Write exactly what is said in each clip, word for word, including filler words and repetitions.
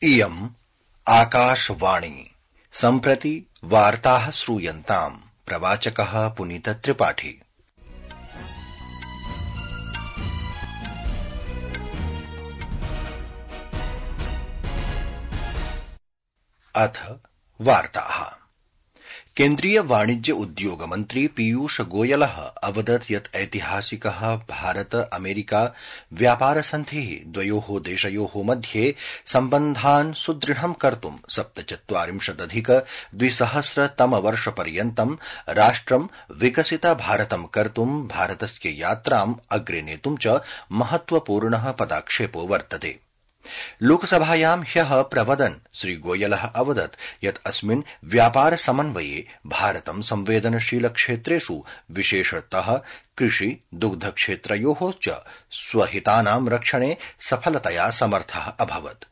इयम् आकाशवाणी सम्प्रति वार्ताः श्रूयन्ताम्। प्रवाचकः पुनीत त्रिपाठी। अथ वार्ताः। केन्द्रीय वाणिज्य उद्योग मन्त्री पीयूष गोयलः अवदत् यत् ऐतिहासिकः भारत अमेरिका व्यापार सन्धिः द्वयोः देशयोः मध्ये सम्बन्धान् सुदृढं कर्तुं सप्तचत्वारिंशदधिक द्विसहस्रतमवर्षपर्यन्तं राष्ट्रं विकसित भारतं कर्तुं भारतस्य यात्राम् अग्रे नेतुं च महत्वपूर्णः पदक्षेपो वर्तते। लोकसभायां ह्यः प्रवदन् श्रीगोयलः अवदत् यत् अस्मिन् व्यापार समन्वये भारतं संवेदनशील क्षेत्रेषु विशेषतः कृषि दुग्ध क्षेत्रयोः च स्वहितानां रक्षणे सफलतया समर्थः अभवत्।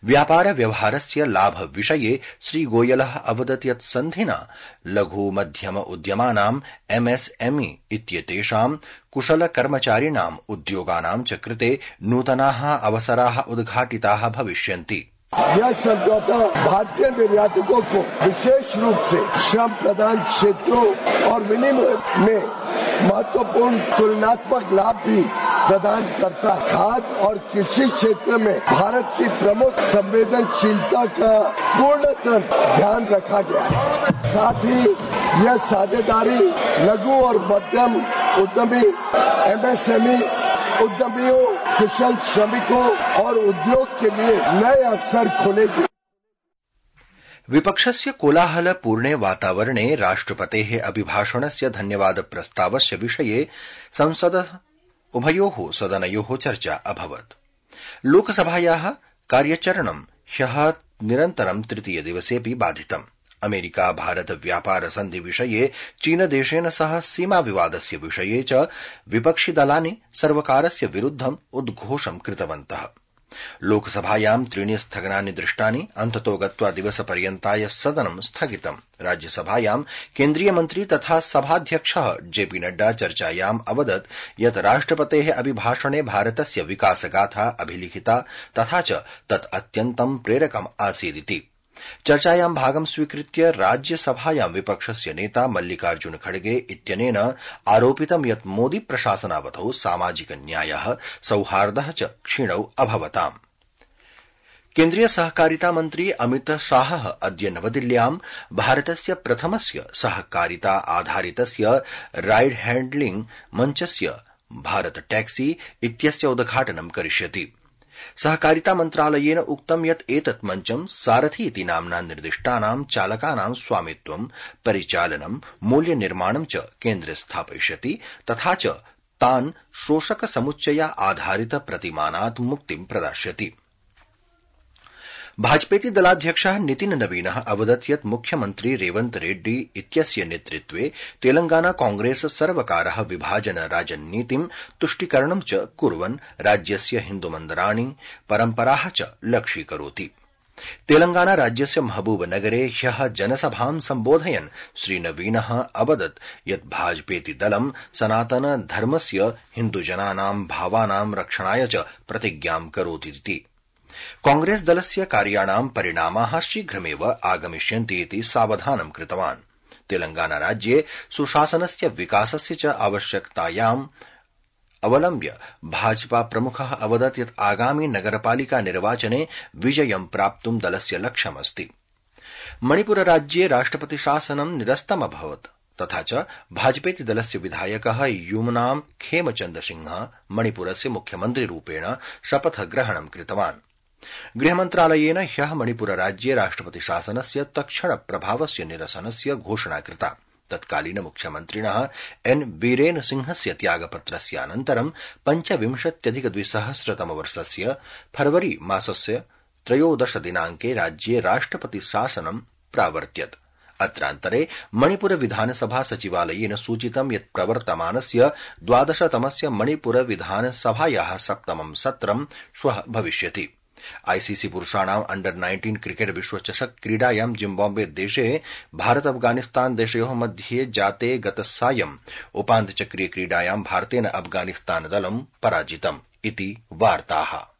व्यापार व्यवहारस्य लाभ विषये श्रीगोयलः अवदत् यत् सन्धिना लघु मध्यम उद्यमानां एमएसएमई इत्येतेषां कुशल कर्मचारिणाम् उद्योगानां च कृते नूतनाः अवसराः उद्घाटिताः भविष्यन्ति। यह समझौता भारतीय निर्यातकों को विशेष रूप से श्रम प्रधान क्षेत्रों और विनिमय में महत्वपूर्ण तुलनात्मक लाभ भी प्रदान करता है। खाद्य और कृषि क्षेत्र में भारत की प्रमुख संवेदनशीलता का पूर्णतः ध्यान रखा गया है। साथ ही यह साझेदारी लघु और मध्यम उद्यमी एमएसएमई उद्यमियों, कुशल श्रमिकों और उद्योग के लिए नए अवसर खोलेगी। विपक्षस्य कोलाहलपूर्णे वातावरणे राष्ट्रपतेः अभिभाषणस्य धन्यवाद प्रस्तावस्य विषये संसदः उभयोः सदनयोः चर्चा अभवत्। लोकसभायाः कार्यचरणं ह्यः निरन्तरं तृतीय दिवसेऽपि बाधितम्। अमेरिका भारत व्यापार सन्धि विषये चीनदेशेन सह सीमा विवादस्य विषये च विपक्षिदलानि सर्वकारस्य विरुद्धम् उद्घोषं कृतवन्तः। लोकसभायां त्रीणि स्थगनानि दृष्टानि। अन्ततो गत्वा दिवसपर्यन्ताय सदनं स्थगितम्। राज्यसभायां केन्द्रीय मन्त्री तथा सभाध्यक्षः जेपी नड्डा चर्चायाम् अवदत् यत् राष्ट्रपतेः अभिभाषणे भारतस्य विकासगाथा अभिलिखिता तथा च तत् अत्यन्तं प्रेरकम् आसीदिति। चर्चायां भागं स्वीकृत्य राज्यसभायां विपक्षस्य नेता मल्लिकार्जुन खड़गे इत्यनेन आरोपितं यत् मोदी प्रशासनावधौ सामाजिक न्यायः सौहार्दः च क्षीणौ अभवताम्। केन्द्रीय सहकारिता मन्त्री अमित शाहः अद्य नवदिल्ल्यां भारतस्य प्रथमस्य सहकारिता आधारितस्य राइड हैण्डलिंग मञ्चस्य भारत टैक्सी इत्यस्य उद्घाटनं करिष्यति। सहकारिता मन्त्रालयेन उक्तं यत् एतत् मञ्चं सारथी इति नाम्ना निर्दिष्टानां चालकानां स्वामित्वं, परिचालनं, मूल्यनिर्माणं च केन्द्रे स्थापयिष्यति तथा च तान् शोषक समुच्चया आधारित प्रतिमानात् मुक्तिं प्रदास्यति। भाजपेति दलाध्यक्षः नितिन नवीनः अवदत् यत् मुख्यमन्त्री रेवन्त रेड्डी इत्यस्य नेतृत्वे तेलंगाना कांग्रेस सर्वकारः विभाजन राजनीतिं तुष्टीकरणं च कुर्वन् राज्यस्य हिन्दुमन्दिराणि परम्पराः च लक्ष्यीकरोति। तेलंगाना राज्यस्य महबूबनगरे ह्यः जनसभां सम्बोधयन् श्रीनवीनः अवदत् यत् भाजपेति दलं सनातन धर्मस्य हिन्दुजनानां भावानां रक्षणाय च प्रतिज्ञां करोतीति। कांग्रेस दलस्य कार्याणां परिणामाः शीघ्रमेव आगमिष्यन्ति इति सावधानं कृतवान्। तेलंगाना राज्ये सुशासनस्य विकासस्य च आवश्यकतायाम् अवलम्ब्य भाजपा प्रमुखः अवदत् यत् आगामि नगरपालिका निर्वाचने विजयं प्राप्तुं दलस्य लक्ष्यमस्ति। मणिपुर राज्ये राष्ट्रपति शासनं निरस्तमभवत् तथा च भाजपेति दलस्य विधायकः यूमनां खेमचन्द सिंहः मणिपुरस्य मुख्यमन्त्रिरूपेण शपथग्रहणं कृतवान्। गृहमन्त्रालयेन ह्यः मणिपुर राज्ये राष्ट्रपति शासनस्य तत्क्षण प्रभावस्य निरसनस्य घोषणा कृता। तत्कालीन मुख्यमन्त्रिणः एन बीरेन सिंहस्य त्यागपत्रस्यानन्तरं पञ्चविंशत्यधिक द्विसहस्रतमवर्षस्य फरवरी मासस्य त्रयोदश दिनाङ्के राज्ये राष्ट्रपति शासनं प्रावर्त्यत्। अत्रान्तरे मणिपुर विधानसभा सचिवालयेन सूचितं यत् प्रवर्तमानस्य द्वादशतमस्य मणिपुर विधानसभायाः सप्तमं सत्रं श्वः भविष्यति। आईसीसी पुरुषाणाम् अंडर नाइन्टीन क्रिकेट विश्वचषक क्रीडायां जिम्बाब्वे देशे भारत अफगानिस्तान देशयोः मध्ये जाते गतसायं उपान्त्यचक्रीय क्रीडायां भारतेन अफगानिस्तान दलं पराजितम् इति वार्ताः।